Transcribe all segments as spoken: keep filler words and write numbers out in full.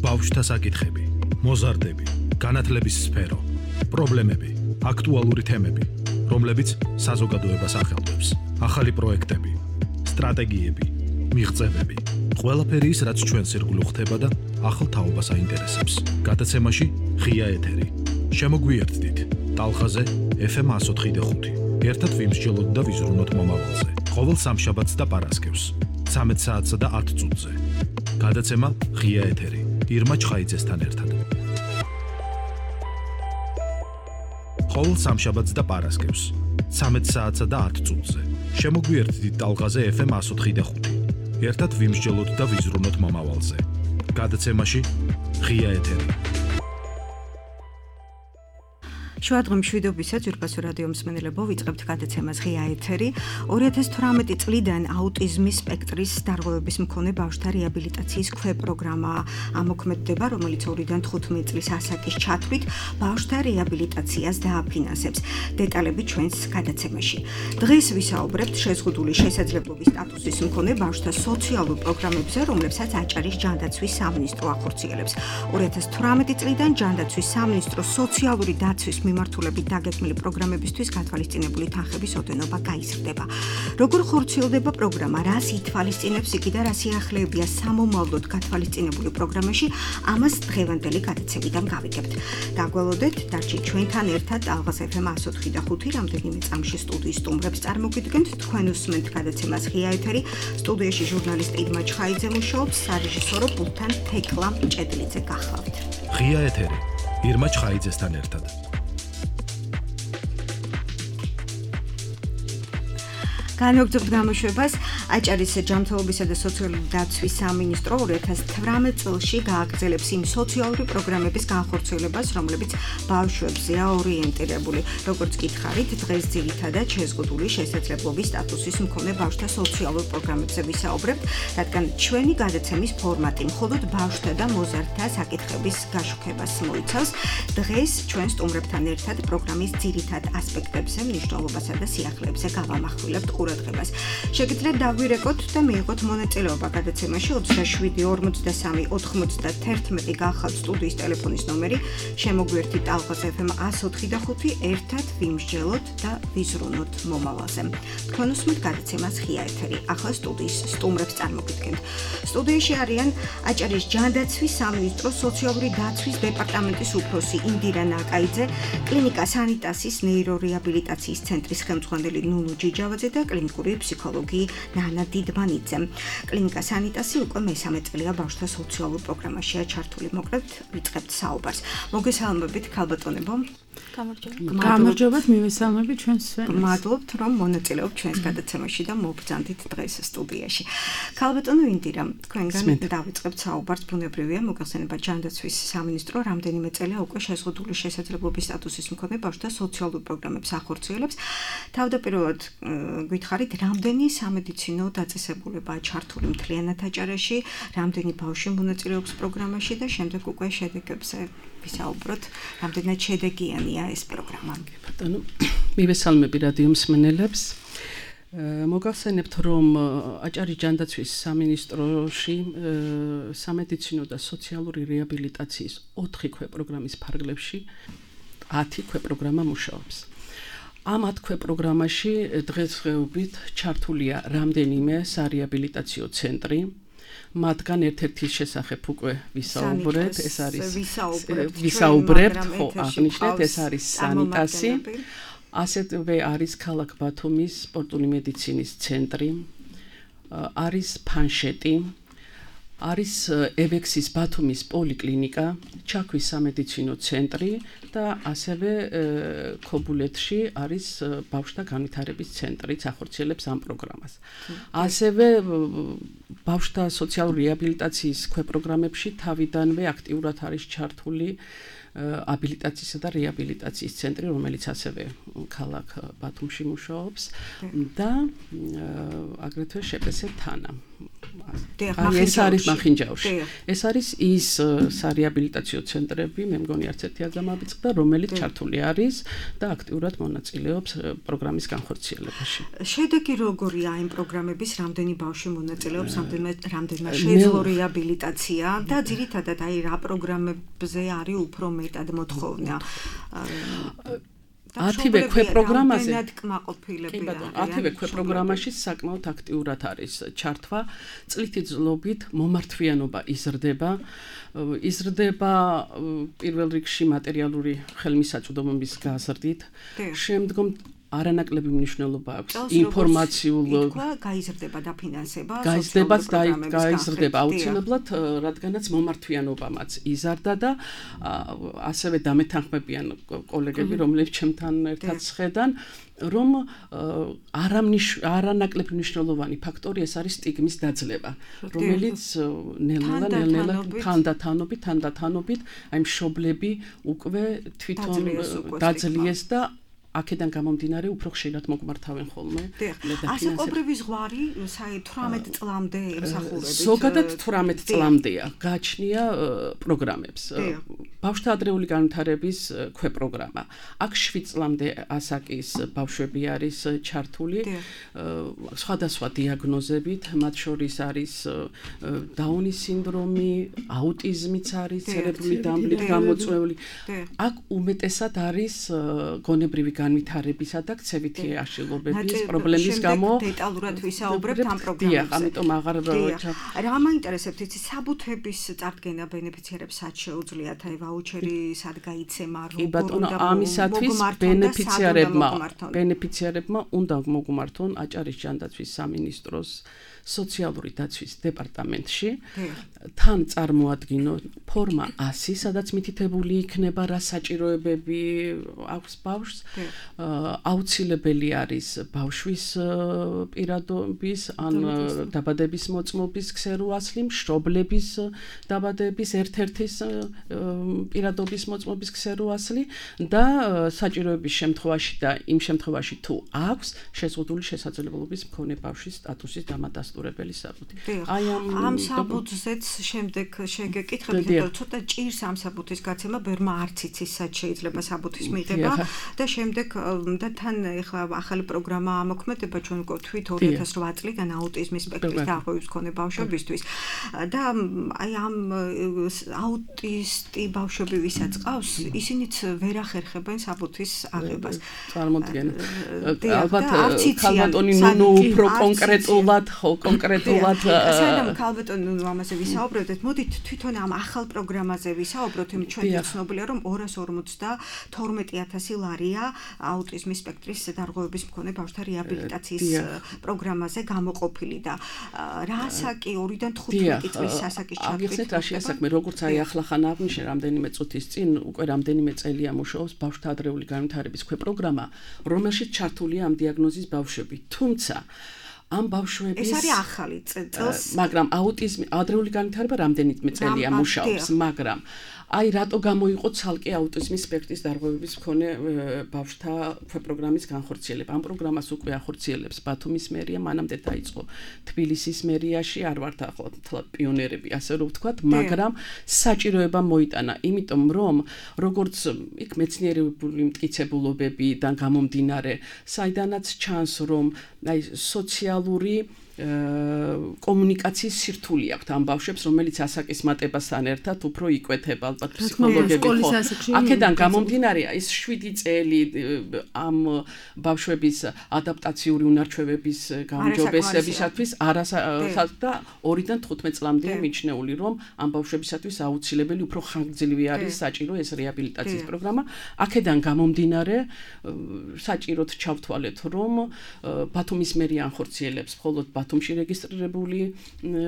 ბავშვთა საკითხები, მოზარდები, განათლების სფერო, პრობლემები, აქტუალური თემები, რომლებიც საზოგადოებას ახელვებს, ახალი პროექტები, სტრატეგიები, მიღწევები, ყველაფერი ის, რაც ჩვენს ირგვლივ ხდება და ახალ თაობას აინტერესებს. გადაცემაში ღია ეთერი. შემოგვიერთდით ტალღაზე ეფ ემ one oh five point five. ერთად ვიმსჯელოთ და ვიზრუნოთ მომავალზე. ყოველ სამშაბათს და პარასკევს, ცამეტ საათსა და ათ წუთზე. გადაცემა ღია ეთერი. ირმა ჩხაიძესთან ერთად. ყოველ სამშაბათს და პარასკევს, ცამეტ საათსა და ათ წუთზე. შემოგვიერთდით ტალღაზე ეფ ემ one oh five point five. ერთად ვიმსჯელოთ და ვიზრუნოთ მომავალზე. გადაცემაში ღია ეთერი. შუადღე მშვიდობისა ძვირფასო რადიო მსმენელებო, ვიწყებთ გადაცემას ღია ეთერი. ორი ათას თვრამეტი წლიდან აუტიზმის სპექტრის დარღვევების მქონე ბავშვთა რეაბილიტაციის ქვეპროგრამა ამოქმედდება, რომელიც ორიდან თხუთმეტ წლის ასაკის ჩათვლით ბავშვთა რეაბილიტაციას დააფინანსებს. დეტალები ჩვენს გადაცემაში. დღეს ვისაუბრებთ შეზღუდული შესაძლებლობის სტატუსის მქონე ბავშვთა სოციალურ პროგრამებზე, რომლებსაც აჭარის ჯანდაცვის სამინისტრო ახორციელებს. ორი ათას თვრამეტი წლიდან ჯანდაცვის სამინისტროს სოციალური დაცვის მიმართულებით დაგეგმილი პროგრამებისთვის გათვალისწინებული თანხების ოდენობა გაიზრდება. როგორ ხორციელდება პროგრამა, რას ითვალისწინებს იგი და რა სიახლეებია სამომავლოდ გათვალისწინებული პროგრამაში, ამას დღევანდელი გადაცემიდან გავიგებთ. დაგველოდეთ, დარჩით ჩვენთან ერთად ტალღას ეფ ემ one oh five point five რამდენიმე წამში სტუდიის სტუმრებს წარმოგიდგენთ. თქვენ უსმენთ გადაცემას ღია ეთერი. სტუდიაში ჟურნალისტი ირმა ჩხაიძე მუშაობს, სარეჟისორო პულტთან თექლა ჭედლიძე გახლავთ. ღია ეთერი. ირმა ჩხაიძესთან ერთად. განვაგრძობთ გამოშვებას. აჭარის ჯანმრთელობისა და სოციალური დაცვის სამინისტრო ორი ათას თვრამეტ წელში გააგრძელებს იმ სოციალური პროგრამების განხორციელებას, რომლებიც ბავშვებზეა ორიენტირებული. როგორც გითხარით, დღეს ძირითადად შეზღუდული შესაძლებლობის სტატუსის მქონე ბავშვთა სოციალურ პროგრამებზე ვისაუბრებთ, რადგან ჩვენი გადაცემის ფორმატი მხოლოდ ბავშვთა და მოზარდთა საკითხების გაშუქებას მოიცავს. დღეს ჩვენ სტუმრებთან ერთად პროგრამის ძირითად ასპექტებზე, მნიშვნელობასა და სიახლეებზე გავამახვილებთ ყურადღებას. შეგიძლიათ დაგვირეკოთ და მიიღოთ მონაწილეობა გადაცემაში. ოცდაშვიდი ორმოცდასამი ოთხმოცდაერთმეტი გახავთ სტუდიის ტელეფონის ნომერი. შემოგვერთით ტალღას ეფ ემ one oh five point five. ერთად ვიმსჯელოთ და ვიზრუნოთ მომავალზე. თქვენ უსმენთ გადაცემას ღია ეთერი. ახლა სტუდიის სტუმრებს წარმოგიდგენთ. სტუდიაში არიან აჭარის ჯანდაცვის სამინისტროს სოციალური დაცვის დეპარტამენტის უფროსი ინდირა ნაკაიძე, კლინიკა სანიტასის ნეირორეაბილიტაციის ცენტრის ხელმძღვანელი ნუნუ ჯიჯავაძე და კლინიკური ფსიქოლოგი ნანა დიდმანიძე. კლინიკა სანიტასი უკვე მესამე წელია ბავშვთა სოციალურ პროგრამაშია ჩართული. მოკლედ ვიწყებთ საუბარს. მოგესალმებით ქალბატონებო. გამარჯობათ, მივესალმებით ჩვენს სვენებს. მადლობთ, რომ მონაწილეობთ ჩვენს გადაცემაში და მობრძანდით დღეს სტუდიაში. ქალბატონო ინდირა, თქვენგან დავიწყებთ საუბარს. ბუნებრივია, მოგახსენება ჯანდაცვის სამინისტრო რამდენიმე წელია უკვე შეზღუდული შესაძლებლობის სტატუსის მქონე ბავშვთა სოციალურ პროგრამებს ახორციელებს. თავდაპირველად გითხარით, რამდენი სამედიცინო დაწესებულებაა ჩართული მთლიანად აჭარაში, რამდენი ბავშვი მონაწილეობს პროგრამაში და შემდეგ უკვე შედეგებზე ვისაუბროთ, რამდენად შედეგიანია ეს პროგრამა. ბატონო, მივესალმები რადიო მსმენელებს. მოგახსენებთ, რომ აჭარის ჯანდაცვის სამინისტროში სამედიცინო და სოციალური რეაბილიტაციის ოთხი ქვეპროგრამის ფარგლებში ათი ქვეპროგრამა მუშაობს. ამ ათ ქვეპროგრამაში დღესდღეობით ჩართულია რამდენიმე სარეაბილიტაციო ცენტრი. მათგან ერთ-ერთის შესახებ უკვე ვისაუბრეთ, ეს არის ვისაუბრებთ, ხო, აღნიშნეთ, ეს არის სანიტასი. ასევე არის ქალაქ ბათუმის სპორტული მედიცინის ცენტრი, არის ფანშეტი, არის ევექსის ბათუმის პოლიკლინიკა, ჩაქვის სამედიცინო ცენტრი და ასევე ქობულეთში არის ბავშვთა განვითარების ცენტრიც ახორციელებს ამ პროგრამას. ასევე ბავშვთა სოციალური რეაბილიტაციის ქვეპროგრამებში თავიდანვე აქტიურად არის ჩართული აბილიტაციისა და რეაბილიტაციის ცენტრი, რომელიც ასევე ქალაქ ბათუმში მუშაობს და აგრეთვე შპს თანა. ეს არის მახინჯაურში. ეს არის ის სარეაბილიტაციო ცენტრები, მე მგონი არც ერთი არ დამაბიწყდა, რომელიც ჩართული არის და აქტიურად მონაწილეობს პროგრამის განხორციელებაში. შედეგი როგორია იმ პროგრამების, რამდენი ბავშვი მონაწილეობს, რამდენმა რამდენმა შეძლო რეაბილიტაცია და ძირითადად აი რა პროგრამებზე არის უფრო მეტად მოთხოვნა. ათივე ქვეპროგრამაზე კი ბატონო, ათივე ქვეპროგრამაში საკმაოდ აქტიურად არის ჩართვა, წლითი ძლობით მომართვიანობა იზრდება, იზრდება პირველ რიგში მატერიალური ხელმისაწვდომობის გაზრდით, შემდგომ არანაკლები მნიშვნელობა აქვს ინფორმაციულ გაიზრდება დაფინანსება, გაიზრდება გაიზრდება აუცილებლად, რადგანაც მომართვიანობამაც იზარდა და ასევე დამეთანხმებიან კოლეგები, რომლებიც ჩემთან ერთად შედან, რომ არანაკლებ მნიშვნელოვანი ფაქტორი ეს არის სტიგმის დაძლევა, რომელიც ნელ-ნელა ნელ-ნელა თანდათანობით, თანდათანობით აი მშობლები უკვე თვითონ დაძლიეს და აქედან გამომდინარე უფრო ხშირად მოგმართავენ ხოლმე. ასაკობრივი ზღვარი თვრამეტ წლამდე ემსახურებით. ზოგადად თვრამეტ წლამდეა გაჩნია პროგრამებს. ბავშვთა ადრეული განვითარების ქვეპროგრამა. აქ შვიდ წლამდე ასაკის ბავშვები არის ჩართული სხვადასხვა დიაგნოზებით, მათ შორის არის დაუნის სინდრომი, აუტიზმიც არის, ცერებრული დამბლით გამოწვეული. აქ უმეტესად არის გონებრივი განვითარებისა და ქცევითი აშლილობების პრობლემის გამო დეტალურად ვისაუბრებთ ამ პროგრამებზე. დიახ, ამიტომ აღარ რა მაინტერესებთ იცი საბუთების წარდგენა ბენეფიციარებს სად შეუძლიათ აი ვაუჩერი სად გაიცემა როგორ უნდა ამისათვის ბენეფიციარებმა ბენეფიციარებმა უნდა მოგმართონ აჭარის ჯანდაცვის სამინისტროს სოციალური დაცვის დეპარტამენტში თან წარმოადგინო ფორმა ასი, სადაც მითითებული იქნება რა საჭიროებები აქვს ბავშვს, აუცილებელი არის ბავშვის პირადობის ან დაბადების მოწმობის ქსეროასლი, მშობლების დაბადების ერთ-ერთის პირადობის მოწმობის ქსეროასლი და საჭიროების შემთხვევაში და იმ შემთხვევაში თუ აქვს შეზღუდული შესაძლებლობის მქონე ბავშვის სტატუსის დამადასტურებელი საბუთი. აი ამ საბუთზეც შემდეგ შეგეკითხებით, რომ ცოტა ჭირს ამ საბუთის გაცემა, ბერმა არც იცის სად შეიძლება საბუთის მიღება და შემდეგ და თან ეხლა ახალი პროგრამა ამოქმედება ჩვენ ვთქვით ორი ათას რვა წლიდან აუტიზმის სპექტრის დაავადების მქონე ბავშვებისთვის და აი ამ აუტისტი ბავშვები ვისაც ყავს, ისინიც ვერ ახერხებენ საბუთის აღებას. წარმოდგენა. ალბათ ქალბატონი ნუნუ უფრო კონკრეტულად, ხო, კონკრეტულად საერთოდ ქალბატონი ნუნუ ამაზე ვისაუბრებთ, მოდით თვითონ ამ ახალ პროგრამაზე ვისაუბროთ, იმ ჩვენ ცნობილია რომ ორას ორმოცდათორმეტი ათასი ლარია აუტიზმის სპექტრის დარღვევების მქონე ბავშვთა რეაბილიტაციის პროგრამაზე გამოყოფილი და რა ასაკი ორიდან თხუთმეტი წლის ასაკის ჩათვლით. აგიხსნით რაშია საქმე, როგორც აი ახლახან აღნიშნე რამდენიმე წუთის წინ, უკვე რამდენიმე წელია მუშაობს ბავშვთა ადრეული განვითარების ქვეპროგრამა, რომელშიც ჩართულია ამ დიაგნოზის ბავშვები. თუმცა ამ ბავშვების ეს არის ახალი წელს, მაგრამ აუტიზმი ადრეული განვითარება რამდენიმე წელია მუშაობს, მაგრამ აი რატო გამოიყო ცალკე აუტიზმის სპექტრის დარღვევების მქონე ბავშვთა ქვეპროგრამის განხორციელება. ამ პროგრამას უკვე ახორციელებს ბათუმის მერია, მანამდე დაიწყო თბილისის მერიაში, არ ვართ ახლა პიონერები, ასე რომ ვთქვათ, მაგრამ საჭიროება მოიტანა, იმიტომ რომ როგორც იქ მეცნიერებული მტკიცებულობებიდან გამომდინარე, საიდანაც ჩანს რომ აი სოციალური კომუნიკაციის სირთული აქვს ამ ბავშვებს, რომელიც ასაკის მატებასთან ერთად უფრო იკვეთება, ალბათ ფსიქოლოგები ხო. აქედან გამომდინარე, ის შვიდი წელი ამ ბავშვების ადაპტაციური უნარჩვევების გაუმჯობესებისათვის არასა და ორიდან თხუთმეტ წლამდეა მიჩნეული, რომ ამ ბავშვებისათვის აუცილებელი უფრო ხანგრძლივი არის საჭირო ეს რეაბილიტაციის პროგრამა. აქედან გამომდინარე, საჭიროდ ჩავთვალეთ, რომ ბათუმის მერია ანხორციელებს მხოლოდ ბათუმში რეგისტრირებული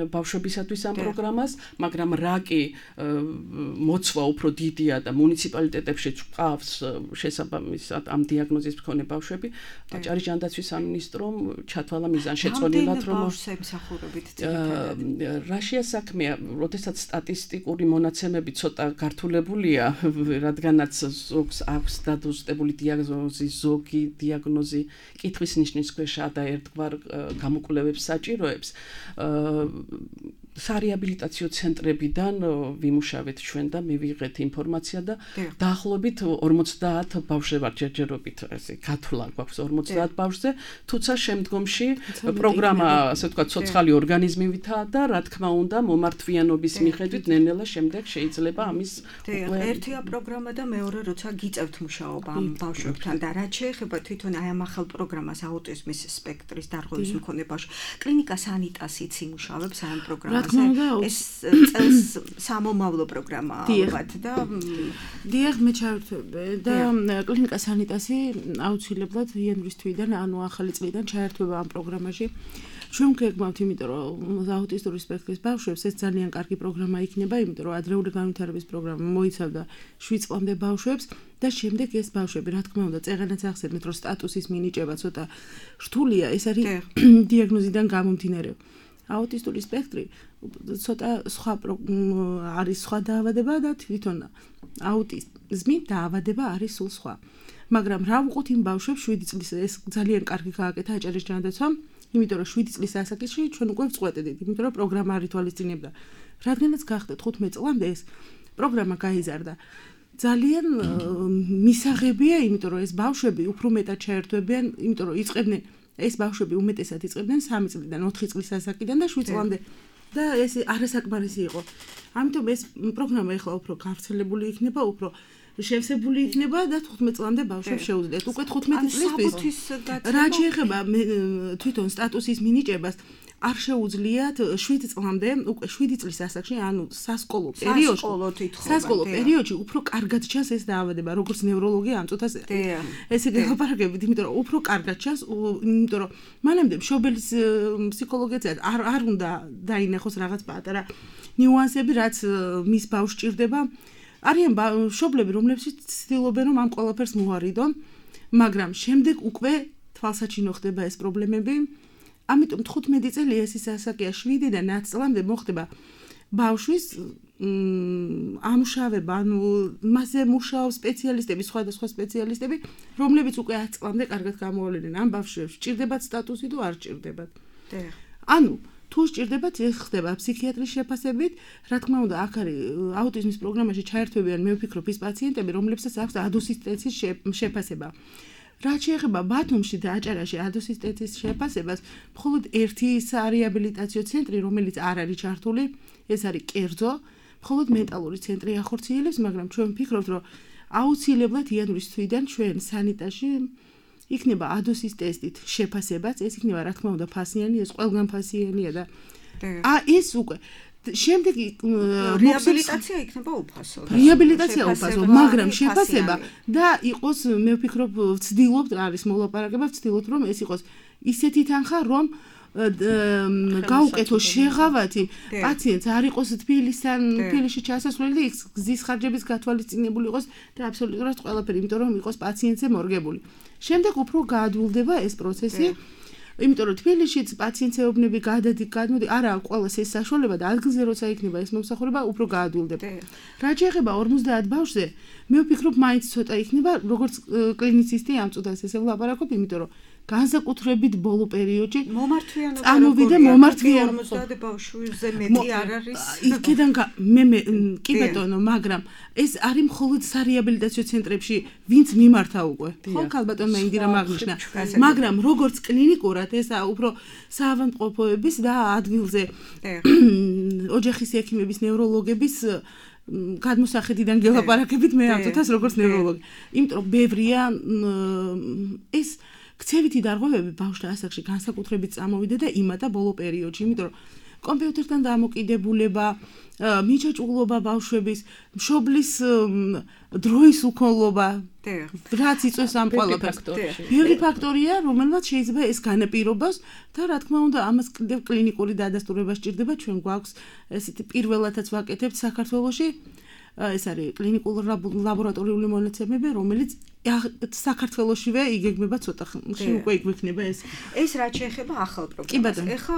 ბავშვებისათვის ამ პროგრამას, მაგრამ რა კი მოცვა უფრო დიდია და მუნიციპალიტეტებში ყავს შესაბამისად ამ დიაგნოზის მქონე ბავშვები, აჭარის ჯანდაცვის სამინისტრომ ჩათვალა მიზანშეწონილად, რომ რაშია საქმეა, როდესაც სტატისტიკური მონაცემები ცოტა გართულებულია, რადგანაც ზოგს აქვს დადოსტებული დიაგნოზი, ზოგი დიაგნოზი კითხვის ნიშნის ქვეშა და ერთგვარ გამოკვლევებს საჭიროებს სარეაბილიტაციო ცენტრებიდან ვიმუშავეთ ჩვენ და მივიღეთ ინფორმაცია და დაახლოებით ორმოცდაათ ბავშვზე ვარ ჯერჯერობით ესე გათვლა გვაქვს ორმოცდაათ ბავშვზე, თუცა შემდგომში პროგრამა ასე ვთქვათ ცოცხალი ორგანიზმივითაა და რა თქმა უნდა მომართვიანობის მიხედვით ნელ-ნელა შემდეგ შეიძლება ამის ერთია პროგრამა და მეორე როცა გიწევთ მუშაობა ამ ბავშვებთან და რაც შეეხება თვითონ აი ამ ახალ პროგრამას აუტიზმის სპექტრის დარღვევის მქონე ბავშვ კლინიკა სანიტასიც იმუშავებს ამ პროგრამაზე ეს წელს სამომავლო პროგრამაა ალბათ და დიახ მე ჩაერთვებ და კლინიკა სანიტასი აუცილებლად იანვრის თვიდან ანუ ახალი წლიდან ჩაერთვება ამ პროგრამაში ჩვენ გეგმავთ იმიტომ რომ აუტისტური სპექტრის ბავშვებს ეს ძალიან კარგი პროგრამა იქნება იმიტომ რომ ადრეული განვითარების პროგრამა მოიცავდა შვიდ წლამდე ბავშვებს და შემდეგ ეს ბავშვები რა თქმა უნდა წეღანაც ახსენეთ რომ სტატუსის მინიჭება ცოტა რთულია ეს არის დიაგნოზიდან გამომდინარე აუტისტური სპექტრი ცოტა სხვა არის სხვა დაავადება და თვითონ აუტიზმი დაავადება არის სულ სხვა მაგრამ რა ვუყოთ იმ ბავშვებს შვიდი წლის ეს ძალიან კარგი გააკეთა აჭარის ჯანდაცვამ იმიტომ რომ შვიდი წლის ასაკში ჩვენ უკვე ვწყვეტდით იმიტომ რომ პროგრამა არ ითვალისწინებდა რადგანაც გახდეთ ხუთმეტ წლამდე ეს პროგრამა გაიზარდა ძალიან მისაღებია იმიტომ რომ ეს ბავშვები უფრო მეტად ჩაერთვებიან იმიტომ რომ იწყებდნენ ეს ბავშვები უმეტესად იწყებდნენ სამი წლიდან ოთხი წლის ასაკიდან და შვიდ წლამდე და ეს არასაკმარისი იყო ამიტომ ეს პროგრამა ახლა უფრო გავრცელებული იქნება უფრო შევსებული იქნება და თხუთმეტ წლამდე ბავშვებს შეუძლიათ უკვე თხუთმეტი წლისთვის რა შეეხება თვითონ სტატუსის მინიჭებას არ შეუძლიათ შვიდ წლამდე უკვე შვიდი წლის ასაკში ანუ სასკოლო პერიოდში სასკოლო პერიოდში უფრო კარგად ჩანს ეს დაავადება როგორც ნევროლოგია ამ წუთას ესე გელაპარაკებით იმიტომ რომ უფრო კარგად ჩანს იმიტომ რომ მანამდე მშობელის ფსიქოლოგიაც არ არ უნდა დაინახოს რაღაც პატარა ნიუანსები რაც მის ბავშვს ჭირდება არიან მშობლები რომლებსაც ცდილობენ რომ ამ ყველაფერს მოარიდონ მაგრამ შემდეგ უკვე თვალსაჩინო ხდება ეს პრობლემები ამიტომ თხუთმეტი წელი ეს ის ასაკია შვიდიდან ათ წლამდე მოხდება ბავშვის ამუშავება ანუ მასზე მუშაობს სპეციალისტები სხვადასხვა სპეციალისტები რომლებიც უკვე ათ წლამდე კარგად გამოვლენენ ამ ბავშვებს ჭირდებათ სტატუსი თუ არ ჭირდებათ ანუ თუ სჭირდებათ ეს ხდება ფსიქიატრის შეფასებით რა თქმა უნდა აქ არის აუტიზმის პროგრამაში ჩაერთვებიან მე ვფიქრობ ის პაციენტები რომლებსაც აქვს ადოსისტენციის შეფასება რაც შეეხება ბათუმში და აჭარაში ადოსისტენციის შეფასებას მხოლოდ ერთი სარეაბილიტაციო ცენტრი რომელიც არ არის ჩართული ეს არის კერძო მხოლოდ მენტალური ცენტრი ახორციელებს მაგრამ ჩვენ ვფიქრობთ რომ აუცილებლად იანვრის თვიდან ჩვენ სანიტაში იქნება ადოსის ტესტით შეფასებაც ეს იქნება რა თქმა უნდა ფასიანი ეს ყველგან ფასიანია და ა ეს უკვე შემდეგი რეაბილიტაცია იქნება უფასო რეაბილიტაცია უფასო მაგრამ შეფასება და იყოს მე ვფიქრობ ვცდილობთ არის მოლაპარაკება ვცდილობთ რომ ეს იყოს ისეთი თანხა რომ გაუკეთო შეღავათი პაციენტს არ იყოს თბილისთან თბილისში ჩასასვლელი და იქ გზის ხარჯების გათვალისწინებული იყოს და აბსოლუტურად ყველაფერი იმიტომ რომ იყოს პაციენტზე მორგებული შემდეგ უფრო გაადვილდება ეს პროცესი იმიტომ რომ თბილისშიც პაციენტს ეუბნები გადადი გადმოდი არა ყველას ეს საშუალება და ადგილზე როცა იქნება ეს მომსახურება უფრო გაადვილდება რა შეეხება ორმოცდაათ ბავშვზე მე ვფიქრობ მაინც ცოტა იქნება როგორც კლინიცისტი ამ წუთას ესე ვლაპარაკობ იმიტომ რომ განსაკუთრებით ბოლო პერიოდში მომართვიანობა წამოვიდა მომართვიან ორმოცდაათ ბავშვზე მეტი არ არის იქიდან მე მე კი ბატონო მაგრამ ეს არის მხოლოდ სარეაბილიტაციო ცენტრებში ვინც მიმართა უკვე ხო ქალბატონმა ინდირამ აღნიშნა მაგრამ როგორც კლინიკურად ეს უფრო საავადმყოფოების და ადგილზე ოჯახის ექიმების ნევროლოგების გადმოსახედიდან გელაპარაკებით მე ამ წუთას როგორც ნევროლოგი იმიტომ რომ ბევრია ეს ქცევითი დარღვევები ბავშვთა ასაკში განსაკუთრებით წამოვიდა და იმატა ბოლო პერიოდში, იმიტომ რომ კომპიუტერთან დამოკიდებულება, მიჩაჭულობა ბავშვების, მშობლის დროის უქონლობა, რაც იწვევს ამ ყველაფერს. ბევრი ფაქტორია, რომელმაც შეიძლება ეს განაპირობას და რა თქმა უნდა, ამას კიდევ კლინიკური დადასტურება სჭირდება, ჩვენ გვაქვს ესეთი პირველადაც ვაკეთებთ საქართველოში. ეს არის კლინიკური ლაბორატორიული მონაცემები, რომელიც საქართველოშივე იგეგმება ცოტა ხნში უკვე იგვექნება ეს. ეს რაც შეეხება ახალ პროგრამას. ეხლა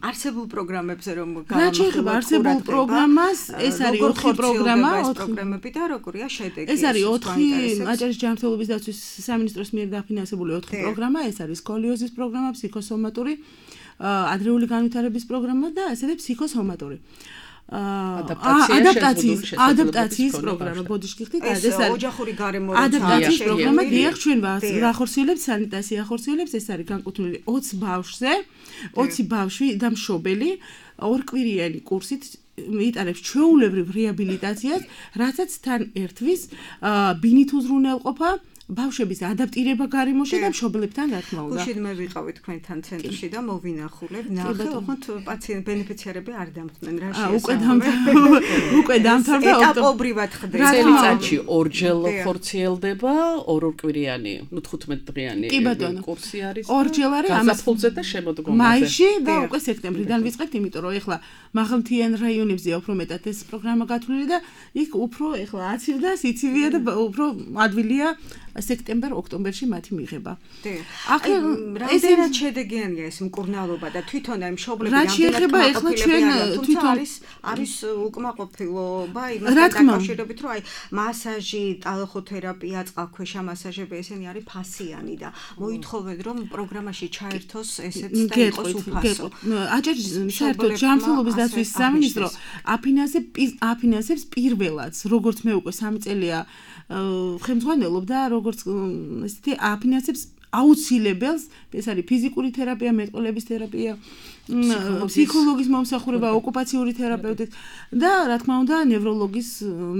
არსებულ პროგრამებზე რომ რა შეეხება არსებულ პროგრამას, ეს არის ოთხი პროგრამა, ოთხი პროგრამები და როგორია შედეგი. ეს არის ოთხი აჭარის ჯანმრთელობის დაცვის სამინისტროს მიერ დაფინანსებული ოთხი პროგრამა, ეს არის სკოლიოზის პროგრამა, ფსიქოსომატური ადრეული განვითარების პროგრამა და ასევე ფსიქოსომატური. ადაპტაციის ადაპტაციის პროგრამა ბოდიშკი ხდით ეს არის ოჯახური გარემო ადაპტაციის პროგრამა დიახ ჩვენ ვახორციელებთ სანიტაცია ახორციელებს ეს არის განკუთვნილი ოცი ბავშვზე ოცი ბავშვი და მშობელი ორკვირიანი კურსით იტარებს ჩვეულებრივ რეაბილიტაციას რასაც თან ერთვის ბინით უზრუნველყოფა ბავშვების ადაპტირება გარემოში და მშობლებთან რა თქმა უნდა. გუშინ მე ვიყავი თქვენთან ცენტრში და მოვინახულებ, ნახე, ოღონდ პაციენტ ბენეფიციარები არ დამხდნენ რა შეიძლება. უკვე დამთავრდა. უკვე დამთავრდა ეტაპობრივად ხდება. წელიწადში ორჯერ ხორციელდება ორ-ორკვირიანი, ნუ თხუთმეტ დღიანი კურსი არის. ორჯერ არის ამას ფულზე და შემოდგომაზე. მაისში და უკვე სექტემბრიდან ვიწყებთ, იმიტომ რომ ეხლა მაღალმთიან რაიონებზეა უფრო მეტად ეს პროგრამა გათვლილი და იქ უფრო ეხლა აცივდა, სიცივეა და უფრო ადვილია სექტემბერ-ოქტომბერში მათი მიღება. აქ რამდენად შედეგიანია ეს მკურნალობა და თვითონ აი მშობლები რამდენად შეიძლება ეხლა ჩვენ თვითონ არის არის უკმაყოფილობა იმასთან დაკავშირებით რომ აი მასაჟი, ტალახოთერაპია, წყალქვეშა მასაჟები ესენი არის ფასიანი და მოითხოვენ რომ პროგრამაში ჩაერთოს ესეც და იყოს უფასო. აჭარ საერთოდ ჯანმრთელობის დაცვის სამინისტრო აფინანსებს პირველად, როგორც მე უკვე სამი წელია ხელმძღვანელობ და როგორც ესეთი აფინანსებს აუცილებელს ეს არის ფიზიკური თერაპია, მეტყველების თერაპია, ფსიქოლოგის მომსახურება, ოკუპაციური თერაპევტი და რა თქმა უნდა ნევროლოგის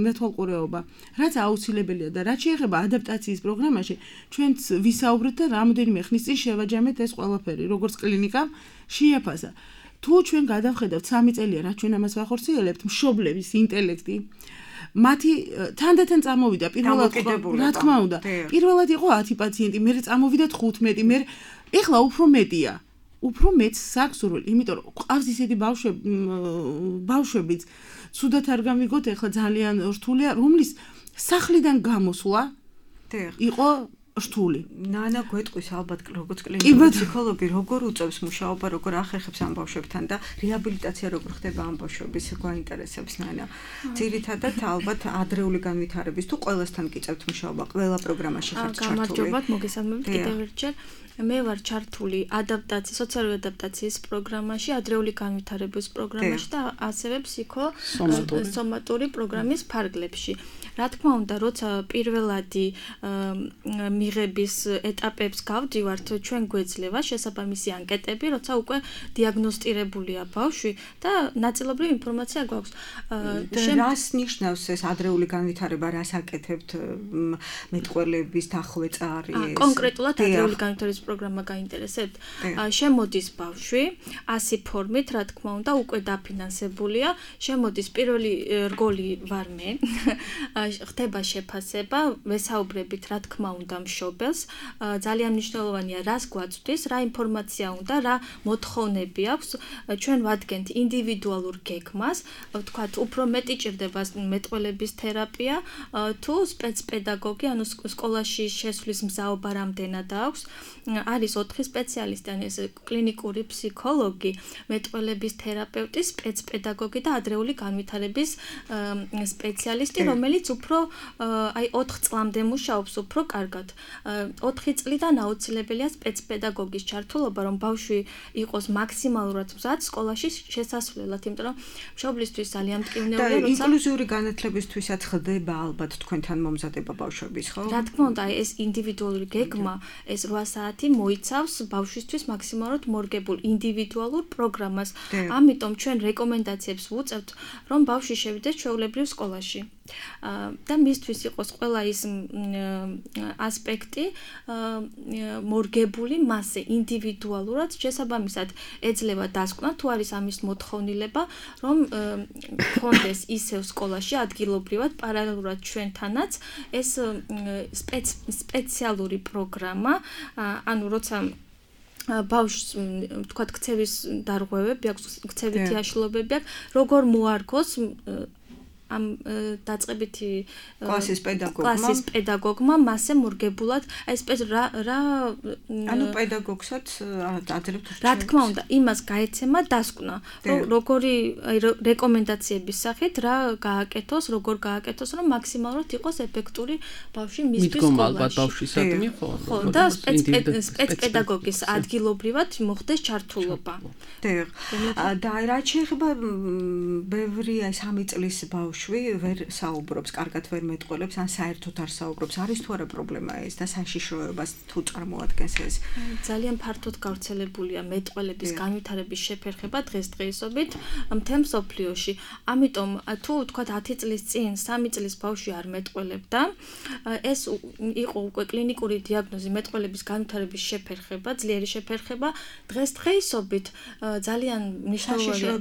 მეთვალყურეობა. რაც აუცილებელია და რაც შეეხება ადაპტაციის პროგრამაში, ჩვენც ვისაუბრეთ და რამოდენიმე ხნის წინ შევაჯამეთ ეს ყველაფერი, როგორც კლინიკამ შეაფასა. თუ ჩვენ გადავხედავთ სამი წელია, რაც ჩვენ ამას ვახორციელებთ, მშობლების ინტელექტი მათი თანდათან წამოვიდა პირველად რა თქმა უნდა პირველად იყო ათი პაციენტი მე წამოვიდა თხუთმეტი მე ეხლა უფრო მეტია უფრო მეც საქსურველი იმიტომ რომ ყავს ისეთი ბავშვები ბავშვებიც ცუდად არ გამიგოთ ეხლა ძალიან რთულია რომლის სახლიდან გამოსვლა იყო რთული. ნანა გვეტყვის ალბათ როგორც კლინიკური ფსიქოლოგი როგორ უწევს მუშაობა, როგორ ახერხებს ამ ბავშვებთან და რეაბილიტაცია როგორ ხდება ამ ბავშვების გვაინტერესებს ნანა. ძირითადად ალბათ ადრეული განვითარების თუ ყველასთან გიწევთ მუშაობა, ყველა პროგრამაში ხართ ჩართული. გამარჯობათ, მოგესალმებით კიდევ ერთხელ. მე ვარ ჩართული ადაპტაციის, სოციალური ადაპტაციის პროგრამაში, ადრეული განვითარების პროგრამაში და ასევე ფსიქოსომატური პროგრამის ფარგლებში. რა თქმა უნდა, როცა პირველადი მიღების ეტაპებს გავდივართ, ჩვენ გვეძლევა შესაბამისი ანკეტები, როცა უკვე დიაგნოსტირებულია ბავშვი და ნაწილობრივ ინფორმაცია გვაქვს. რას ნიშნავს ეს ადრეული განვითარება, რას აკეთებთ მეტყველების დახვეწა არის? კონკრეტულად ადრეული განვითარების პროგრამა გაინტერესებთ? შემოდის ბავშვი, ასი ფორმით, რა თქმა უნდა, უკვე დაფინანსებულია. შემოდის პირველი რგოლი ვარ მე. ხდება შეფასება, ვესაუბრებით, რა თქმა უნდა, მშობელს. ძალიან მნიშვნელოვანია, რას გვაწვდის, რა ინფორმაცია უნდა, რა მოთხოვნები აქვს. ჩვენ ვადგენთ ინდივიდუალურ გეგმას, ვთქვათ, უფრო მეტი ჭირდება მეტყველების თერაპია, თუ სპეცპედაგოგი, ანუ სკოლაში შესვლის მზაობა რამდენად აქვს. არის ოთხი სპეციალისტი, ანუ ეს კლინიკური ფსიქოლოგი, მეტყველების თერაპევტი, სპეცპედაგოგი და ადრეული განვითარების სპეციალისტი, რომელიც უფრო აი ოთხ წლამდე მუშაობს უფრო კარგად. ოთხი წლიდან აუცილებელია სპეცპედაგოგის ჩართულობა, რომ ბავშვი იყოს მაქსიმალურად მზად სკოლაში შესასვლელად, იმიტომ რომ მშობლისთვის ძალიან მტკივნეულია, როცა ინკლუზიური განათლებისთვისაც ხდება ალბათ თქვენთან მომზადება ბავშვების, ხო? რა თქმა უნდა, ეს ინდივიდუალური გეგმა, ეს რვა საათი მოიცავს ბავშვისთვის მაქსიმალურად მორგებულ ინდივიდუალურ პროგრამას. ამიტომ ჩვენ რეკომენდაციებს ვუწევთ, რომ ბავშვი შევიდეს ჩვეულებრივ სკოლაში. და მისთვის იყოს ყველა ის ასპექტი მორგებული მასზე ინდივიდუალურად შესაბამისად ეძლევა დასკვნა თუ არის ამის მოთხოვნილება რომ ხონდეს ისევ სკოლაში ადგილობრივად პარალელურად ჩვენთანაც ეს სპეციალური პროგრამა ანუ როცა ბავშვს თქვა ქცევის დარღვევები აქვს ქცევითი აშლობები აქვს როგორ მოარგოს ამ დაწყებითი კლასის პედაგოგმა კლასის პედაგოგმა მასე მორგებულად აი ეს რა რა ანუ პედაგოგსაც აძლევთ რა თქმა უნდა იმას გაეცემა დასკვნა როგორი აი რეკომენდაციების სახით რა გააკეთოს როგორ გააკეთოს რომ მაქსიმალურად იყოს ეფექტური ბავშვი მისთვის სკოლაში მიდგომა ალბათ ბავშვისადმი ხო ხო და სპეცპედაგოგის ადგილობრივად მოხდეს ჩართულობა და რა შეიძლება ბევრი აი სამი წლის ბავშვი ვერ საუბრობს, კარგად ვერ მეტყველებს, ან საერთოდ არ საუბრობს. არის თუ არა პრობლემა ეს და საშიშროებას თუ წარმოადგენს ეს? ძალიან ფართოდ გავრცელებულია მეტყველების განვითარების შეფერხება დღესდღეობით მთელ მსოფლიოში. ამიტომ თუ ვთქვათ ათი წლის წინ სამი წლის ბავშვი არ მეტყველებდა, ეს იყო უკვე კლინიკური დიაგნოზი მეტყველების განვითარების შეფერხება, ძლიერი შეფერხება. დღესდღეობით ძალიან მნიშვნელოვანია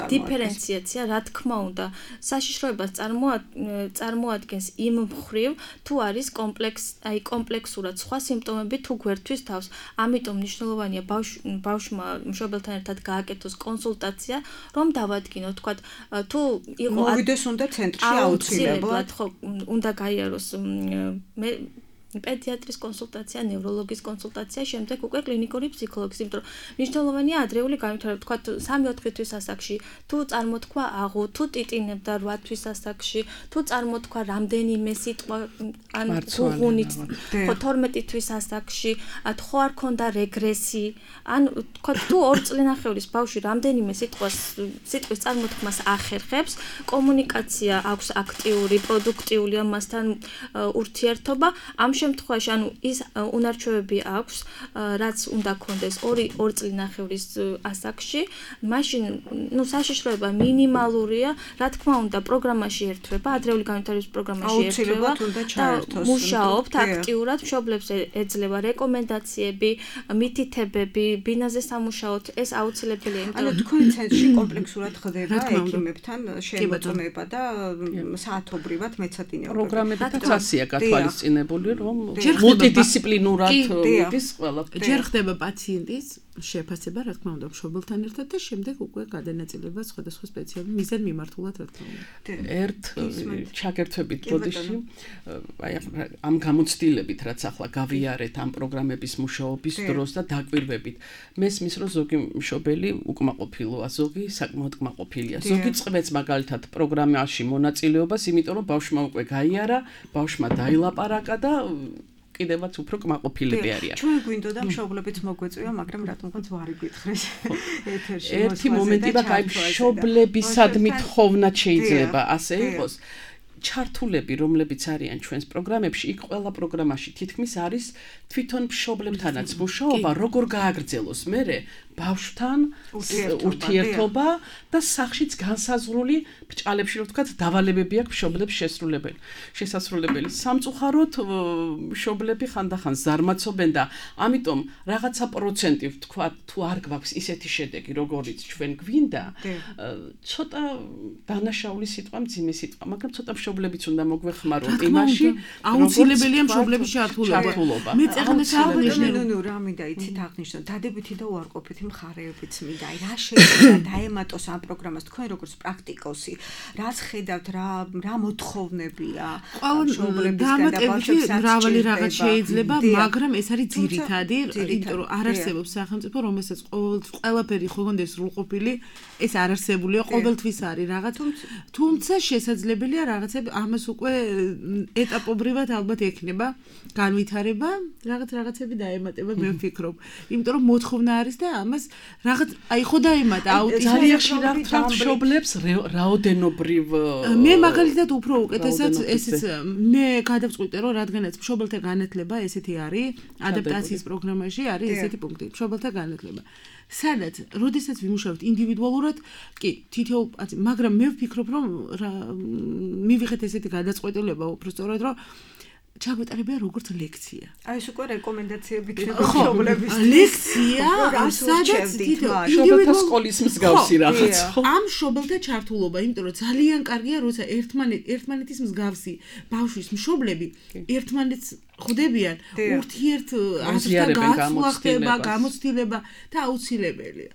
დიფერენციაცია, რა თქმა უნდა, საშიშროებას წარმოადგენს იმ მხრივ, თუ არის კომპლექს, აი კომპლექსურად სხვა სიმპტომები თუ გვერთვის თავს. ამიტომ მნიშვნელოვანია ბავშვმა მშობელთან ერთად გააკეთოს კონსულტაცია, რომ დავადგინოთ, თქვათ, თუ იყო მოვიდეს უნდა ცენტრში აუცილებლად, ხო, უნდა გაიაროს მე პედიატრის კონსულტაცია, ნევროლოგის კონსულტაცია, შემდეგ უკვე კლინიკური ფსიქოლოგის, იმიტომ რომ მნიშვნელოვანია ადრეული განვითარება, თქვათ სამი-ოთხი თვის ასაკში, თუ წარმოთქვა აღუ, თუ ტიტინებდა რვა თვის ასაკში, თუ წარმოთქვა რამდენიმე სიტყვა ან გუღუნით, ხო თორმეტი თვის ასაკში, ხო არ ქონდა რეგრესი, ან თქვათ თუ ორი წლინახევრის ბავშვი რამდენიმე სიტყვას სიტყვის წარმოთქმას ახერხებს, კომუნიკაცია აქვს აქტიური, პროდუქტიული ამასთან ურთიერთობა, ამ შემთხვევაში ანუ ის უნარჩვევები აქვს, რაც უნდა კონდეს ორი წლინახევრის ასაკში, მაშინ ნუ საშიშროება მინიმალურია, რა თქმა უნდა, პროგრამაში ერთვება, ადრეული განვითარების პროგრამაში ერთვება და მუშაობთ აქტიურად, მშობლებს ეძლევა რეკომენდაციები, მითითებები, ბინაზე სამუშაოთ, ეს აუცილებელია, იმიტომ რომ თქვენ ცენტრში კომპლექსურად ხდება ექიმებთან შემოწმება და საათობრივად მეცადინეობები. პროგრამებითაც ასია გათვალისწინებული, რომ მულტიდისციპლინურად მიდის ყველაფერი. ჯერ ხდება პაციენტის შეფასება, რა თქმა უნდა, მშობელთან ერთად და შემდეგ უკვე გადანაწილება სხვადასხვა სპეციალურ მიზან მიმართულად, რა თქმა უნდა. ერთ ჩაგერთვებით ბოდიში, აი ამ გამოცდილებით, რაც ახლა გავიარეთ ამ პროგრამების მუშაობის დროს და დაკვირვებით, მესმის რომ ზოგი მშობელი უკმაყოფილოა, ზოგი საკმაოდ კმაყოფილია. ზოგი წყვეტს მაგალითად პროგრამაში მონაწილეობას, იმიტომ რომ ბავშვმა უკვე გაიარა, ბავშვმა დაილაპარაკა და კიდევაც უფრო კმაყოფილები არიან. ჩვენ გვინდოდა მშობლებიც მოგვეწვია, მაგრამ რატომღაც ვარი გითხრეს ეთერში. ერთი მომენტი და კაი მშობლებისადმი თხოვნად შეიძლება ასე იყოს. ჩართულები, რომლებიც არიან ჩვენს პროგრამებში, იქ ყველა პროგრამაში თითქმის არის თვითონ მშობლებთანაც მუშაობა, როგორ გააგრძელოს მერე ბავშვთან ურთიერთობა და სახშიც განსაზღვრული ბჭყალებში, რომ ვთქვათ, დავალებები აქვს მშობლებს შესრულებელი. შესასრულებელი. სამწუხაროდ მშობლები ხანდახან ზარმაცობენ და ამიტომ რაღაცა პროცენტი ვთქვათ, თუ არ გვაქვს ისეთი შედეგი, როგორიც ჩვენ გვინდა, ცოტა დანაშაული სიტყვა, მძიმე სიტყვა, მაგრამ ცოტა მშობლებიც უნდა მოგვეხმაროთ იმაში, აუცილებელია მშობლების ჩართულობა. მე წეგნეს აღნიშნე, ნუ ნუ რა მინდა იცით აღნიშნო, დადებითი და უარყოფითი მხარეებიც მინდა. აი რა შეიძლება დაემატოს ამ პროგრამას თქვენ როგორც პრაქტიკოსი, რაც ხედავთ, რა რა მოთხოვნებია მშობლებისგან და ბავშვებსაც მრავალი რაღაც შეიძლება, მაგრამ ეს არის ძირითადი, იმიტომ რომ არ არსებობს სახელმწიფო, რომელსაც ყველაფერი ხონდეს სრულყოფილი, ეს არ არსებულია, ყოველთვის არის რაღაც, თუმცა შესაძლებელია რაღაცები ამას უკვე ეტაპობრივად ალბათ ექნება განვითარება, რაღაც რაღაცები დაემატება, მე ვფიქრობ. იმიტომ რომ მოთხოვნა არის და ამას რაღაც აი ხო დაემატა აუტიზმი. ძალიან ხშირად მშობლებს რაოდენობრივ მე მაგალითად უფრო უკეთესად ესეც მე გადავწყვიტე რომ რადგანაც მშობელთა განათლება ესეთი არის, ადაპტაციის პროგრამაში არის ესეთი პუნქტი, მშობელთა განათლება. სადაც, როდესაც ვიმუშავებთ ინდივიდუალურად, კი, თითოეულ, მაგრამ მე ვფიქრობ, რომ მივიღეთ ესეთი გადაწყვეტილება უბრალოდ რომ ჩაგვეტარებია როგორც ლექცია. აი ეს უკვე რეკომენდაციები იქნება მშობლების. ლექცია, სადაც მშობელთა სკოლის მსგავსი რაღაც. ამ მშობელთა ჩართულობა, იმიტომ რომ ძალიან კარგია, როცა ერთმანეთ ერთმანეთის მსგავსი ბავშვის მშობლები ერთმანეთს ხდებიან ურთიერთ აზრთან გაცვლა ხდება, გამოცდილება და აუცილებელია.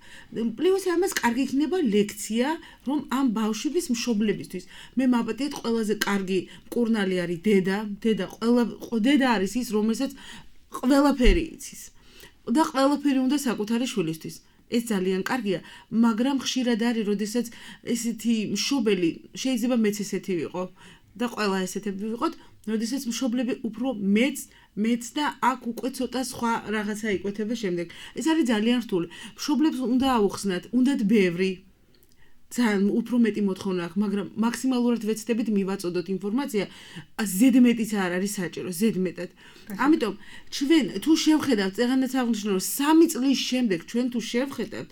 პლუს ამას კარგი იქნება ლექცია, რომ ამ ბავშვების მშობლებისთვის მე მაბატიეთ ყველაზე კარგი მკურნალი არის დედა, დედა ყველა დედა არის ის, რომელსაც ყველაფერი იცის. და ყველაფერი უნდა საკუთარი შვილისთვის. ეს ძალიან კარგია, მაგრამ ხშირად არის, როდესაც ესეთი მშობელი შეიძლება მეც ესეთი ვიყო და ყველა ესეთები ვიყოთ, როდესაც მშობლები უფრო მეც მეც და აქ უკვე ცოტა სხვა რაღაცა იკვეთება შემდეგ. ეს არის ძალიან რთული. მშობლებს უნდა აუხსნათ, უნდათ ბევრი ძალიან უფრო მეტი მოთხოვნა აქვს, მაგრამ მაქსიმალურად ვეცდებით მივაწოდოთ ინფორმაცია, ზედმეტიც არ არის საჭირო, ზედმეტად. ამიტომ ჩვენ თუ შევხედავთ, წეღანაც აღნიშნე, რომ სამი წლის შემდეგ ჩვენ თუ შევხედავთ,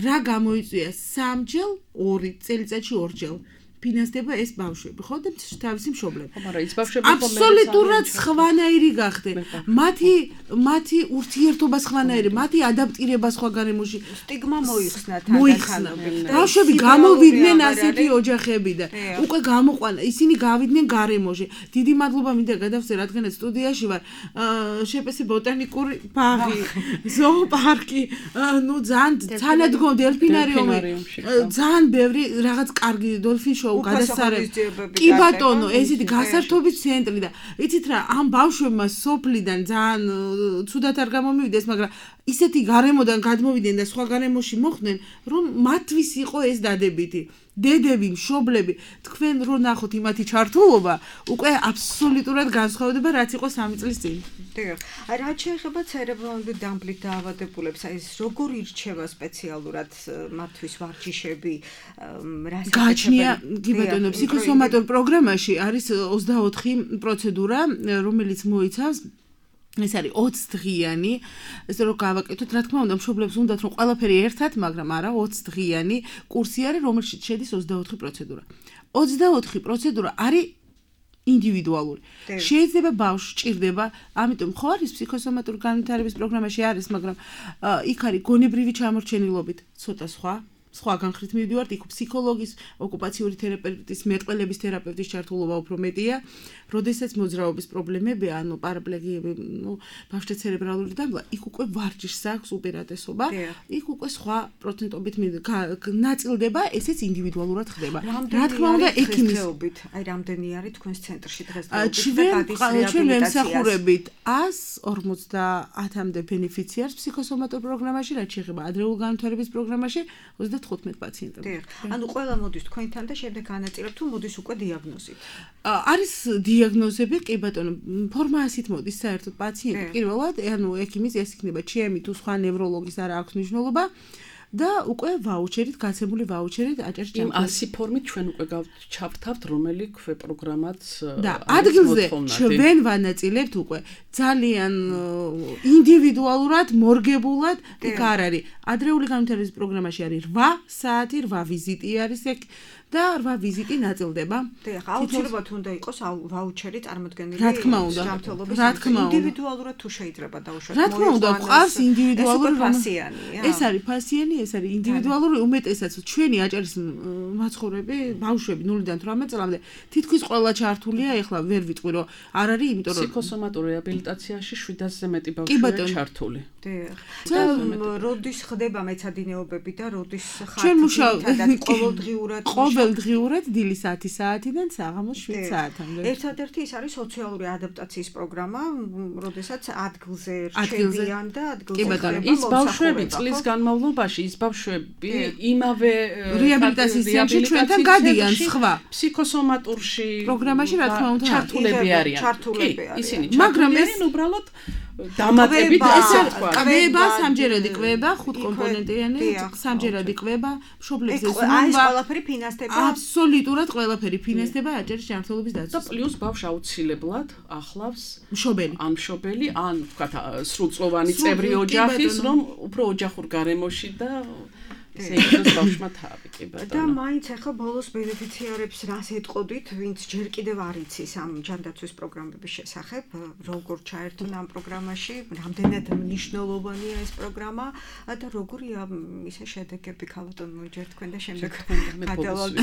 რა გამოიწვია სამჯერ, ორი წელიწადში ორჯერ. ფინანსდება ეს ბავშვები, ხო და თავისი მშობლები. მაგრამ ის ბავშვები აბსოლუტურად სხვანაირი გახდნენ. მათი მათი ურთიერთობა სხვანაირი, მათი ადაპტირება სხვა გარემოში. სტიგმა მოიხსნა თანხმობით. ბავშვები გამოვიდნენ ასეთი ოჯახებიდან. უკვე გამოყვანა, ისინი გავიდნენ გარემოში. დიდი მადლობა მინდა გადავწერ, რადგანაც სტუდიაში ვარ. შეპესე ბოტანიკური ბაღი, ზოოპარკი, ნუ ძალიან თანადგომ დელფინარიუმი. ძალიან ბევრი რაღაც კარგი დოლფინ გადასარევი. კი ბატონო, ესეთი გასართობის ცენტრი და იცით რა, ამ ბავშვებმა სოფლიდან ძალიან ცუდად არ გამომივიდეს, მაგრამ ისეთი გარემოდან გადმოვიდნენ და სხვა გარემოში მოხვდნენ, რომ მათთვის იყო ეს დადებითი. დედები, მშობლები, თქვენ რო ნახოთ იმათი ჩართულობა, უკვე აბსოლუტურად განსხვავდება, რაც იყო სამი წლის წინ. დიახ. რაც შეეხება ცერებრალური დამბლით დაავადებულებს, აი ეს როგორ ირჩევა სპეციალურად მათთვის ვარჯიშები, რა გააჩნია, კი ბატონო, ფსიქოსომატურ პროგრამაში არის ოცდაოთხი პროცედურა, რომელიც მოიცავს ეს არის ოცი დღიანი, ესე რომ გავაკეთოთ, რა თქმა უნდა, მშობლებს უნდათ რომ ყველაფერი ერთად, მაგრამ არა, ოცი დღიანი კურსი არის, რომელშიც შედის ოცდაოთხი პროცედურა. ოცდაოთხი პროცედურა არის ინდივიდუალური. შეიძლება ბავშვს ჭირდება, ამიტომ ხო არის ფსიქოსომატური განვითარების პროგრამაში არის, მაგრამ იქ არის გონებრივი ჩამორჩენილობით ცოტა სხვა. სხვა განხრით მივდივართ, იქ ფსიქოლოგის, ოკუპაციური თერაპევტის, მეტყველების თერაპევტის ჩართულობა უფრო მეტია, როდესაც მოძრაობის პრობლემები, ანუ პარაპლეგიები, ნუ ბავშვთა ცერებრალური დამბლა, იქ უკვე ვარჯიშს აქვს უპირატესობა, იქ უკვე სხვა პროცენტობით ნაწილდება, ესეც ინდივიდუალურად ხდება. რა თქმა უნდა, ექიმის, აი რამდენი არის თქვენს ცენტრში დღესდღეობით და ჩვენ ვემსახურებით ასს ორმოცდაათამდე ბენეფიციარს ფსიქოსომატურ პროგრამაში, რაც შეეხება ადრეული განვითარების პროგრამაში ოცდათხუთმეტ პაციენტად. ანუ ყველა მოდის თქვენთან და შემდეგ განაწილებთ თუ მოდის უკვე დიაგნოზით. არის დიაგნოზები, კი ბატონო, ფორმა ასით მოდის საერთოდ პაციენტი პირველად, ანუ ექიმის ეს იქნება ჩემი თუ სხვა ნევროლოგის არა აქვს მნიშვნელობა. და უკვე ვაუჩერით, გაცემული ვაუჩერით აჭარს იმ ასი ფორმით ჩვენ უკვე ჩავთავთ, რომელი ქვე პროგრამაც და ადგილზე ჩვენ ვანაწილებთ უკვე ძალიან ინდივიდუალურად, მორგებულად, იქ არ არის. ადრეული განვითარების პროგრამაში არის რვა საათი, რვა ვიზიტი არის ეგ და რვა ვიზიტი ნაწილდება. დიახ, აუცილებლად უნდა იყოს ვაუჩერი წარმოდგენილი. რა თქმა უნდა, რა თქმა უნდა. ინდივიდუალურად თუ შეიძლება დაუშვათ. რა თქმა უნდა, ყავს ინდივიდუალური ფასიანია. ეს არის ფასიანი, ეს არის ინდივიდუალური, უმეტესაც ჩვენი აჭარის მაცხოვრები, ბავშვები ნულიდან თვრამეტ წლამდე თითქმის ყველა ჩართულია, ეხლა ვერ ვიტყვი რომ არ არის, იმიტომ რომ ფსიქოსომატურ რეაბილიტაციაში შვიდასზე მეტი ბავშვია ჩართული. დიახ. და როდის ხდება მეცადინეობები და როდის ხართ ჩვენ მუშაობთ ყოველდღიურად ყოველდღიურად დილის ათი საათიდან საღამოს შვიდ საათამდე. ერთადერთი ის არის სოციალური ადაპტაციის პროგრამა, როდესაც ადგილზე რჩებიან და ადგილზე ხდება ის ბავშვები წლის განმავლობაში, ის ბავშვები იმავე რეაბილიტაციის ცენტრში ჩვენთან გადიან სხვა ფსიქოსომატურში პროგრამაში, რა თქმა უნდა, ჩართულები არიან. ჩართულები არიან. ისინი ჩართულები უბრალოდ დამატებით ესა კვება, სამჯერადი კვება, ხუთკომპონენტიანი, სამჯერადი კვება, მშობლებზე სულობა. ეს ყველაფერი ფინანსდება. აბსოლუტურად ყველაფერი ფინანსდება აჭარის ჯანმრთელობის დაცვას. და პლუს ბავშვი აუცილებლად ახლავს მშობელი. ან მშობელი, ან ვთქვათ, სრულწლოვანი წევრი ოჯახის, რომ უფრო ოჯახურ გარემოში და ესე იქნას ბავშვმა თავი, კი ბატონო. და მაინც ახლა ბოლოს ბენეფიციარებს რას ეტყოდით, ვინც ჯერ კიდევ არ იცის ამ ჯანდაცვის პროგრამების შესახებ, როგორ ჩაერთონ ამ პროგრამაში, რამდენად მნიშვნელოვანია ეს პროგრამა და როგორია ისე შედეგები, ქალბატონო, ჯერ თქვენ და შემდეგ გადავალთ.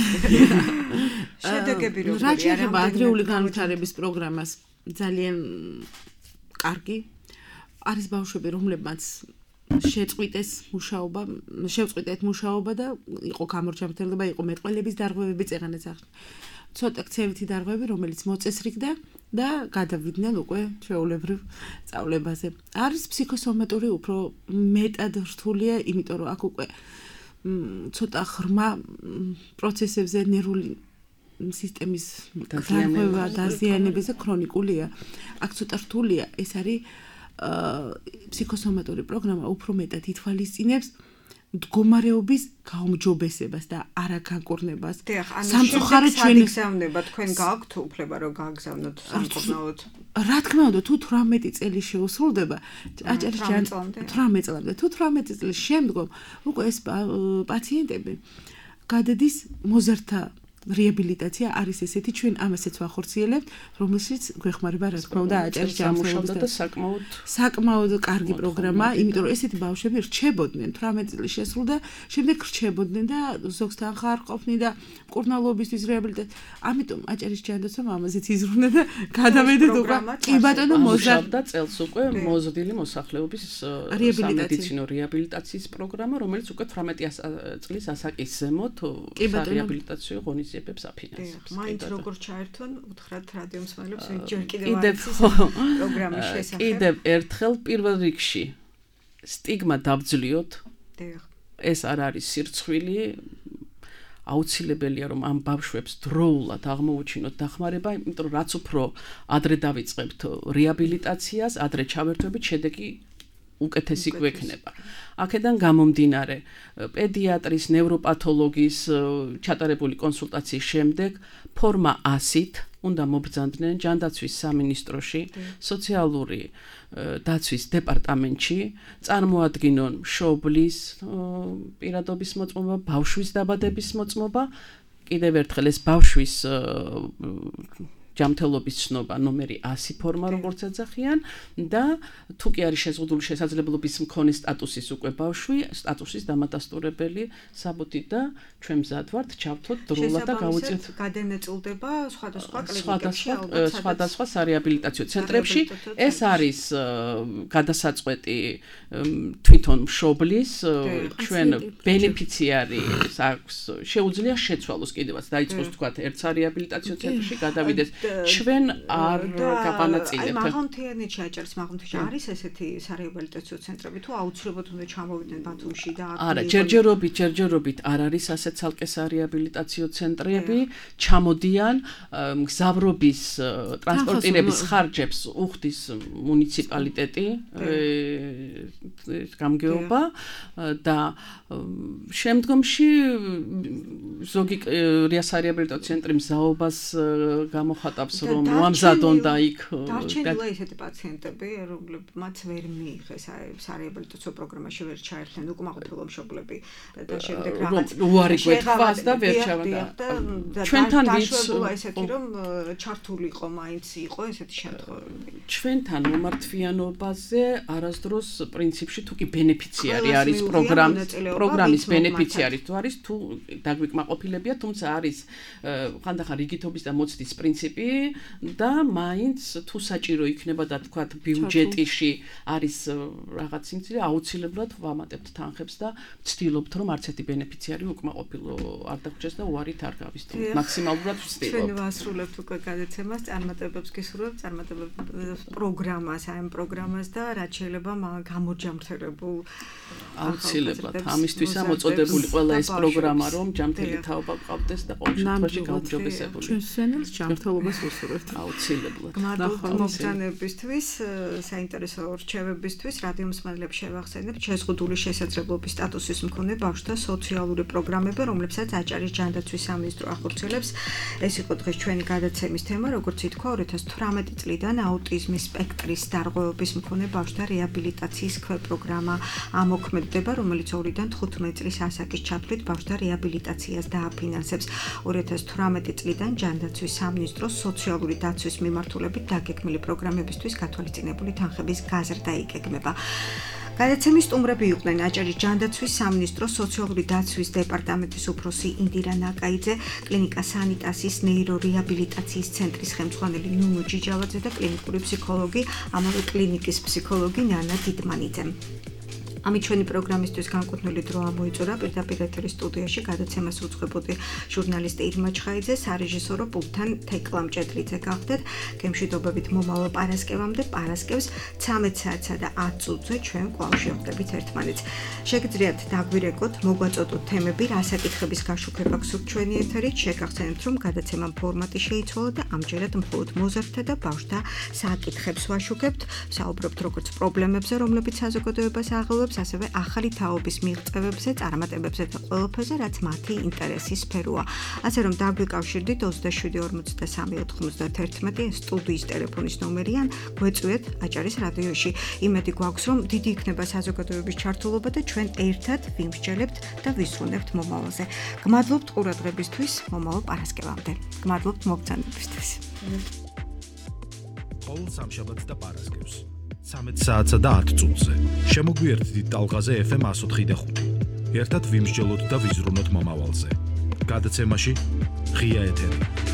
შედეგები როგორია? რა შეიძლება ადრეული განვითარების პროგრამას ძალიან კარგი. არის ბავშვები, რომლებმაც შეწყვიტეს მუშაობა, შევწყვიტეთ მუშაობა და იყო გამორჩენილება, იყო მეტყველების დარღვევები წეღანაც ახლა. ცოტა ქცევითი დარღვევები, რომელიც მოწესრიგდა და გადავიდნენ უკვე ჩვეულებრივ სწავლებაზე. არის ფსიქოსომატური უფრო მეტად რთულია, იმიტომ რომ აქ უკვე ცოტა ღრმა პროცესებზე ნერვული სისტემის დაზიანება, დაზიანებაზე ქრონიკულია. აქ ცოტა რთულია, ეს არის ფსიქოსომატური პროგრამა უფრო მეტად ითვალისწინებს მდგომარეობის გაუმჯობესებას და არაგანკურნებას. სამწუხაროდ ჩვენი გზავნება თქვენ გაქვთ უფლება რომ გააგზავნოთ სამკურნალოდ. რა თქმა უნდა, თუ თვრამეტი წელი შეუსრულდება, აჭარის თვრამეტი წლამდე, თუ თვრამეტი წლის შემდგომ უკვე ეს პაციენტები გადადის მოზარდთა რეაბილიტაცია არის ესეთი, ჩვენ ამასაც ვახორციელებთ, რომელშიც გვეხმარება რა თქმა უნდა აჭარის ჯანმრთელობის და საკმაოდ საკმაოდ კარგი პროგრამა, იმიტომ რომ ესეთი ბავშვები რჩებოდნენ თვრამეტი წლის შესრულდა, შემდეგ რჩებოდნენ და ზოგთან ხარ ყოფნი და მკურნალობისთვის რეაბილიტაცია. ამიტომ აჭარის ჯანდაცვამ ამაზეც იზრუნდა და გადავედეთ უკვე კი ბატონო მოზარდა წელს უკვე მოზრდილი მოსახლეობის სამედიცინო რეაბილიტაციის პროგრამა, რომელიც უკვე თვრამეტი წლის ასაკის ზემოთ რეაბილიტაციო ღონისძიებებს აფინანსებს. მაინც როგორ ჩაერთონ, უთხრათ რადიო მსმენელებს, ჯერ კიდევ არის პროგრამის შესახებ. კიდევ ერთხელ პირველ რიგში სტიგმა დავძლიოთ. ეს არ არის სირცხვილი. აუცილებელია რომ ამ ბავშვებს დროულად აღმოუჩინოთ დახმარება, იმიტომ რომ რაც უფრო ადრე დავიწყებთ რეაბილიტაციას, ადრე ჩავერთვებით, შედეგი უკეთესი გვექნება. აქედან გამომდინარე, პედიატრის, ნევროპათოლოგის ჩატარებული კონსულტაციის შემდეგ ფორმა ასით უნდა მობრძანდნენ ჯანდაცვის სამინისტროში, სოციალური დაცვის დეპარტამენტში, წარმოადგინონ მშობლის პირადობის მოწმობა, ბავშვის დაბადების მოწმობა, კიდევ ერთხელ ეს ბავშვის ჯანმრთელობის ცნობა ნომერი ასი ფორმა როგორც ეძახიან და თუ კი არის შეზღუდული შესაძლებლობის მქონე სტატუსის უკვე ბავშვი, სტატუსის დამადასტურებელი საბუთი და ჩვენ მზად ვართ ჩავთოთ დროულად და გავუწიოთ გადანაწილდება სხვადასხვა კლინიკებში, სხვადასხვა სარეაბილიტაციო ცენტრებში. ეს არის გადასაწყვეტი თვითონ მშობლის, ჩვენ ბენეფიციარი აქვს, შეუძლია შეცვალოს კიდევაც დაიწყოს თქვა ერთ სარეაბილიტაციო ცენტრში გადავიდეს ჩვენ არ გავანაწილებთ. მაღალმთიანეთში აჭარის მაღალმთიანეთში არის ესეთი სარეაბილიტაციო ცენტრები თუ აუცილებლად უნდა ჩამოვიდნენ ბათუმში და არა, ჯერჯერობით, ჯერჯერობით არ არის ასეთ ცალკე სარეაბილიტაციო ცენტრები, ჩამოდიან მგზავრობის ტრანსპორტირების ხარჯებს უხდის მუნიციპალიტეტი, გამგეობა და შემდგომში ზოგი სარეაბილიტაციო ცენტრი მზაობას გამოხატავს რომ მოამზადონ და იქ დარჩენილა ესეთი პაციენტები, რომლებმაც ვერ მიიღეს სარეაბილიტაციო პროგრამაში ვერ ჩაერთნენ უკმაყოფილო მშობლები და შემდეგ რაღაც უარი გვეთქვას და ვერ ჩავდა. ჩვენთან ვიცოდი ესეთი რომ ჩართული იყო, მაინც იყო ესეთი შემთხვევები. ჩვენთან მომართვიანობაზე არასდროს პრინციპში თუ კი ბენეფიციარი არის პროგრამის პროგრამის ბენეფიციარი თუ არის თუ დაგვიკმაყოფილებია, თუმცა არის ხანდახან რიგითობის და მოცდის პრინციპი და მაინც თუ საჭირო იქნება და თქვათ ბიუჯეტში არის რაღაც სიმცირე, აუცილებლად ვამატებთ თანხებს და ვცდილობთ რომ არც ერთი ბენეფიციარი უკმაყოფილო არ დაგვრჩეს და უარით არ გავისწროთ. მაქსიმალურად ვცდილობთ. ჩვენ ვასრულებთ უკვე გადაცემას, წარმატებებს გისურვებთ, წარმატებებს პროგრამას, ამ პროგრამას და რაც შეიძლება გამოჯამრთელებულ აუცილებლად ამისთვის ამოწოდებული ყველა ეს პროგრამა რომ ჯანმრთელი თაობა გყავდეს და ყოველ შემთხვევაში გაუმჯობესებული. ჩვენ სენელს ჯანმრთელობას ვუსურვებთ აუცილებლად. მადლობა მოგზაურობისთვის, საინტერესო რჩევებისთვის, რადიო მსმენელებს შევახსენებთ შეზღუდული შესაძლებლობის სტატუსის მქონე ბავშვთა სოციალური პროგრამები, რომლებსაც აჭარის ჯანდაცვის სამინისტრო ახორციელებს. ეს იყო დღეს ჩვენი გადაცემის თემა, როგორც ითქვა, ორი ათას თვრამეტი წლიდან აუტიზმის სპექტრის დარღვევების მქონე ბავშვთა რეაბილიტაციის ქვეპროგრამა ამოქმედდება, რომელიც ორიდან თხუთმეტი წლის ასაკის ჩათვლით ბავშვთა რეაბილიტაციას დააფინანსებს. ორი ათას თვრამეტი წლიდან ჯანდაცვის სამინისტროს სოციალური დაცვის მიმართულებით დაგეგმილი პროგრამებისთვის გათვალისწინებული თანხების გაზრდა იგეგმება. გადაცემის სტუმრები იყვნენ აჭარის ჯანდაცვის სამინისტროს სოციალური დაცვის დეპარტამენტის უფროსი ინდირა ნაკაიძე, კლინიკა სანიტასის ნეირორეაბილიტაციის ცენტრის ხელმძღვანელი ნუნუ ჯიჯავაძე და კლინიკური ფსიქოლოგი, ამავე კლინიკის ფსიქოლოგი ნანა დიდმანიძე. ამით ჩვენი პროგრამისთვის განკუთვნილი დრო ამოიწურა პირდაპირ ეთერის სტუდიაში გადაცემას უძღვებოდი ჟურნალისტი ირმა ჩხაიძე, სარეჟისორო პულტთან თეკლა მჭედლიძე გახდეთ. გემშვიდობებით მომავალ პარასკევამდე, პარასკევს ცამეტ საათსა და ათ წუთზე ჩვენ კვლავ შევხვდებით ერთმანეთს. შეგიძლიათ დაგვირეკოთ, მოგვაწოდოთ თემები, რა საკითხების გაშუქება გსურთ ჩვენი ეთერით, შეგახსენებთ, რომ გადაცემამ ფორმატი შეიცვალა და ამჯერად მხოლოდ მოზარდთა და ბავშვთა საკითხებს ვაშუქებთ, საუბრობთ როგორც პრობლემებზე, რომლებიც საზოგადოებას აღელვებს, ასევე ახალი თაობის მიღწევებზე, წარმატებებზე და ყველაფერზე, რაც მათი ინტერესის სფეროა. ასე რომ დაგვიკავშირდით ოცდაშვიდი ორმოცდასამი ოთხმოცდაათერთმეტი სტუდიის ტელეფონის ნომერი ან გვეწვიეთ აჭარის რადიოში. იმედი გვაქვს, რომ დიდი იქნება საზოგადოების ჩართულობა და ჩვენ ერთად ვიმსჯელებთ და ვისრულებთ მომავალზე. გმადლობთ ყურადღებისთვის, მომავალ პარასკევამდე. გმადლობთ მოგზაურობისთვის. ყოველ სამშაბათს და პარასკევს ცამეტ საათსა და ათ წუთზე შემოგვიერთდით ტალღაზე ეფ ემ εκατო ხუთი და ხუთი. ერთად ვიმსჯელოთ და ვიზრუნოთ მომავალზე. გადაცემაში ღია ეთერი.